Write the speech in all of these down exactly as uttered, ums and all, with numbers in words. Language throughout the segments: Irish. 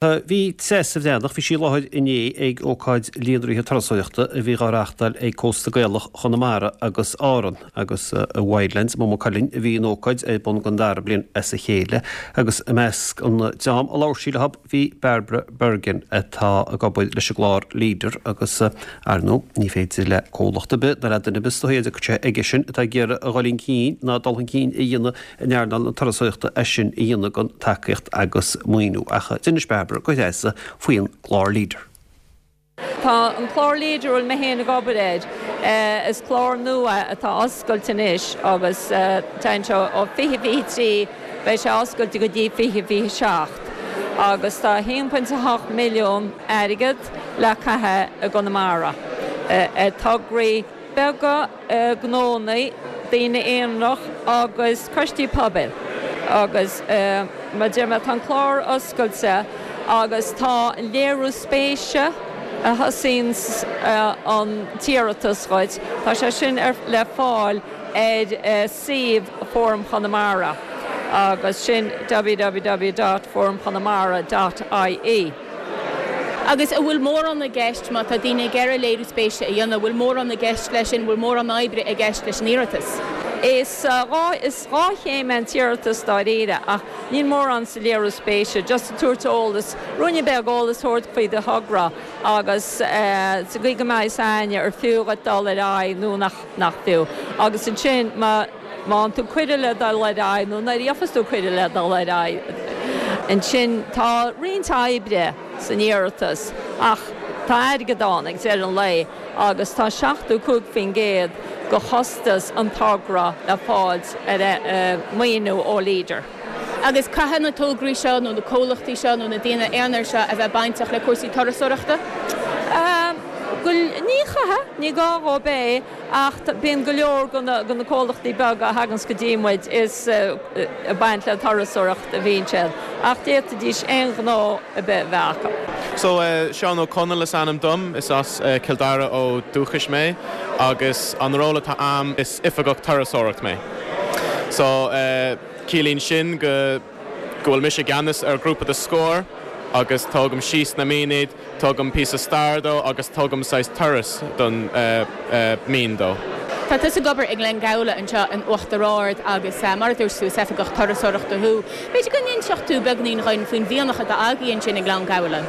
Bhí Treasa Bhreathnach, bhí sí i láthair inné ag ócáid líonraithe turasóireachta a bhí á reáchtáil ag Cósta Gaelach Chonamara agus Árann agus i Wildlands Maigh Cuilinn a bhí an ócáid ar bun don dara bliain as a chéile agus i measc an dream a labhair sí leo bhí Barbara Bergin atá ag obair leis an gclár Leader agus ar ndóigh ní féidir le comhlacht ar bith ná le duine ar bith sé aige sin atá ag iarraidh a dhul chun cinn ná dul chun cinn a dhéanamh in earnáil na turasóireachta é sin a dhéanamh gan tacaíocht agus maoiniú ach d'inis Barbara go Treasa faoin gclár Leader. Tá an clár Leader bhfuil mé féin ag obair air is clár nua atá oscailte anois agus tá seo ó fiche fiche trí beidh sé oscailte go dtí fiche fiche seacht. agus tá haon pointe hocht milliún airgead le caitheamh i gConamara. Tograí beaga gnónna daoine aonarach agus coistí pobail agus mar deir mé tá an clár oscailte agus tá léiriú spéise a thosaíonn an t-iarratas chuid, Tá sé sin ar le fáil ar suíomh Fóram Chonamara agus sin www.forumchonamara.ie. Agus an bhfuil mórán i gceist má tá daoine ag iarraidh léiriú spéise a dhéanamh, bhfuil mórán i gceist leis sin bhfuil mórán oibre i gceist leis an iarratas. Is dhá is dhá chéim an t-iarratas dáiríre ach níl mórán sa léiriú spéise, just tabhairt eolas, ruainne beag eolas thabhairt faoi do thogra agus sa gcaoi go mbeidh aithne ar fiú dul ar aghaidh nó nach nach fiú. Agus ansin má má tú cuireadh le dul ar aghaidh nó nuair a fhaigheann tú cuireadh le dul ar aghaidh. Ansin tá roinnt oibre san iarratas ach tá airgead ann ag deireadh an lae agus tá seachtó cúig faoin gcéad de chostas an togra le fáil ar maoiniú ó Leader. Agus caithfidh na tograí seo nó na comhlachtaí seo nó na daoine aonair seo a bheith bainteach le cúrsaí turasóireachta? Ní chaithfidh ní gá dóibh é ach bíonn go leor de na comhlachtaí beaga a thagann go dtí muid is ag baint le turasóireacht a bhíonn siad ach d'fhéadfaidís aon ghnó ar bith a bheith acu. So uh, Seán Ó Conaill is ainm dom is as uh, Cill Dara ó dúchas mé agus an ról atá agam is oifigeach turasóireacht mé. So uh, ciallaíonn sin go go bhfuil mise i gceannas ar grúpa de scór agus tógaim síos na mianaigh, tugaim píosa stair dó agus tugaim saghas turas don uh, uh, mín dó. Tá tusa ag obair i nGleann Gabhla anseo in Uachtar Ard agus uh, mar dúirt tú is oifigeach turasóireachta thú. B'fhéidir go n-inseodh tú beagáinín dhúinn faoin mhianach atá agaibh ansin i nGleann Gabhla.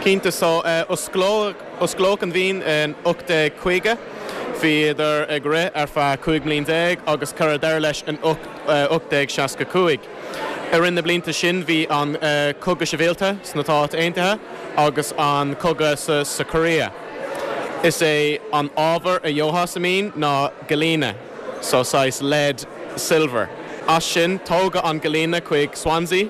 Cinnte so uh, osclaíodh an mhian in ocht déag caoga, Bhíodar ag rith ar feadh cúig bliain déag agus cuireadh deireadh leis in ocht déag seasca cúig. I rith na blianta sin bhí an uh, cogadh sibhialta sna Stáit Aontaithe agus an cogadh sa, sa Korea. Is é an ábhar a gheofá sa mhian ná galena, so saghas lead silver. As sin tógadh an galena chuig Swansea,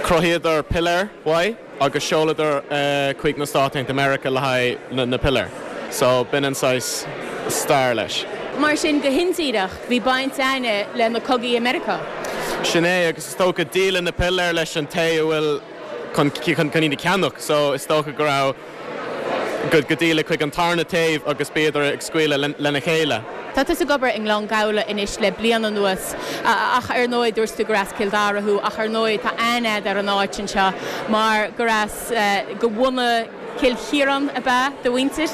chruthaíodar piléir uaidh agus sheoladar uh, chuig na Stáit Aontaithe America le haghaidh na, na piléir. So b'in an saghas stair leis. Mar sin go hindíreach bhí baint againne le na cogaí i Meiriceá. Sin é agus is dócha díoladh na piléir leis an té a bhfuil chun chun chun iad a cheannach, so is dócha go raibh go go díoladh chuig an tarna taobh agus b'fhéidir ag scaoileadh lena chéile. Tá tusa ag obair i nGleann Gabhla anois le bliain anuas ach ar ndóigh dúirt tú gur as Cill Dara thú ach ar ndóigh tá aithne ar an áit anseo mar gur as go bhunadh Cill Chiaráin ab ea do mhuintir?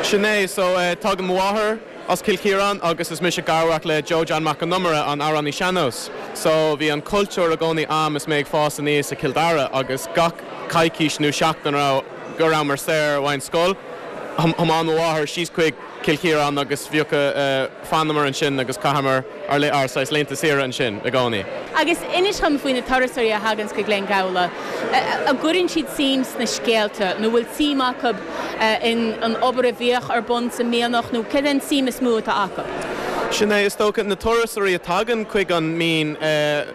Sin é so uh, tagann mo mháthair as Cill Chiaráin agus is mise garmhac le Joe John Mac an Iomaire an amhránaí sean-nóis. So bhí an cultúr i gcónaí agam is mé ag fás aníos i Cill Dara agus gach coicís nó seachtain ra go rabhamar saor ón scoil. Thiomáin mo mháthair síos chuig Cill Chiaráin agus bhíodh uh, fanamar ansin agus chaitheamar ár le ár saghas laethanta saoire ansin i gcónaí. Agus inis dom faoi na turasóirí a thagann go Gleann Gabhla. An gcuireann siad suim sna scéalta, nó bhfuil suim acu in an obair a bhíodh ar bun sa mhianach nó cad é an tsuim is mó atá acu. Sin é is dócha na turasóirí a tagann chuig an mín uh,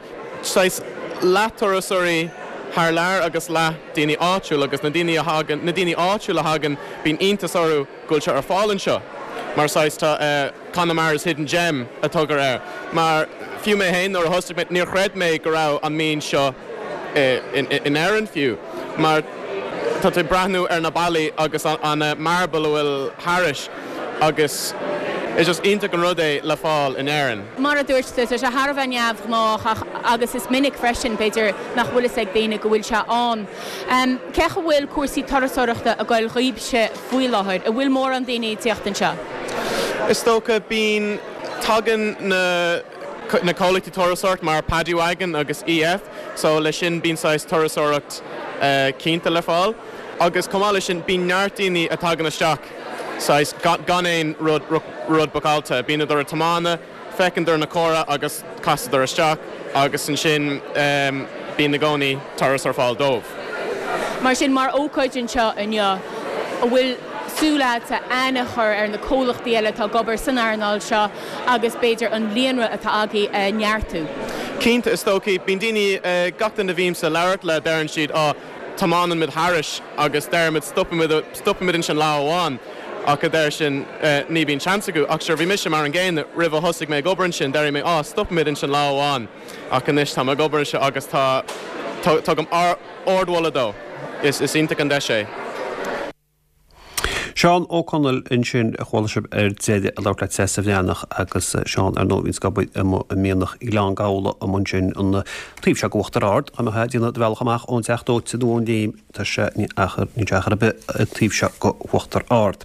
saghas leath-turasóirí thar lear agus leath daoine áitiúil agus na daoine a thagann na daoine áitiúil a thagann bíonn iontas orthu go bhfuil sé ar fáil anseo. Mar saghas tá uh, Connemara's Hidden Gem a thugtar air. Mar fiú mé féin nuair a thosaigh mé níor chreid mé go raibh an mín seo uh, in, in, in Éirinn fiú. Mar tá tú breathnú ar na ballaí agus an, an uh, marble a bhfuil thairis agus Is just iontach an rud é le fáil in Éirinn. Mar a dúirt tú sé thar a bheith neamhghnách agus is minic freisin b'fhéidir nach bhfuil fhios ag daoine go bhfuil sé ann. Um, Cén chaoi a bhfuil cúrsaí turasóireachta ag goil dhaoibhse faoi láthair, an bhfuil mórán daoine ag teacht anseo. Is dócha bíonn tagann na na comhlachtaí turasóireacht mar Paddy Wagon agus EF, so le sin bíonn saghas turasóireacht uh, cinnte le fáil. Agus chomh maith le sin bíonn neart daoine a tagann isteach saghas gan aon rud rud bookáilte, bíonn ag tiomáint, feiceann na cora agus casadar isteach agus ansin um, bíonn i gcónaí turas ar fáil dóibh. Mar sin mar ócáid anseo inniu an bhfuil súil agat aithne a chur ar na comhlachtaí eile atá ag obair san earnáil seo agus b'fhéidir an líonra atá agaibh a neartú. Cinnte is dócha bíonn daoine uh, gach duine a bhímse ag labhairt le deireann siad á tiomáineann muid thairis agus deirimid stopaimid ansin lá amháin. ach a deir sin uh, ní bhíonn seans acu ach sure bhí mise mar an gcéanna roimh a thosaigh mé ag obair ansin deir mé á stopaimid ansin lá amháin ach anois tá ag obair anseo agus tá tugaim ardmholadh dó is is iontach an deis é. Seán Ó Conaill ansin a chuala sibh ar deireadh ag labhairt le Treasa Bhreathnach agus Seán ar ndóigh bhíonn ag obair i Mianach Ghleann Gabhla amuigh ansin an taobh seo d'Uachtar Ard a mbeadh déanamh do bhealach amach ón Teach Dóite nó ón Léim tá sé ní achar ní achar ar bith an taobh seo d'Uachtar Ard.